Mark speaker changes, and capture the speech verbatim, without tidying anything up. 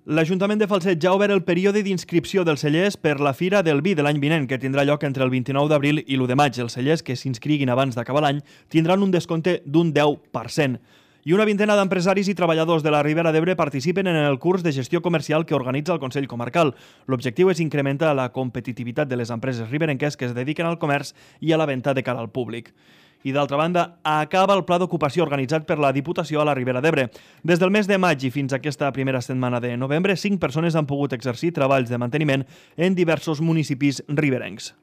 Speaker 1: L'Ajuntament de Falset ja ha obert el període d'inscripció dels cellers per la Fira del Vi de l'any vinent, que tindrà lloc entre el vint-i-nou d'abril i l'u de maig. Els cellers que s'inscriguin abans d'acabar l'any tindran un descompte d'un deu per cent. I una vintena d'empresaris i treballadors de la Ribera d'Ebre participen en el curs de gestió comercial que organitza el Consell Comarcal. L'objectiu és incrementar la competitivitat de les empreses riberenques que es dediquen al comerç i a la venda de cara al públic. I d'altra banda, acaba el pla d'ocupació organitzat per la Diputació a la Ribera d'Ebre. Des del mes de maig i fins a aquesta primera setmana de novembre, cinc persones han pogut exercir treballs de manteniment en diversos municipis riberencs.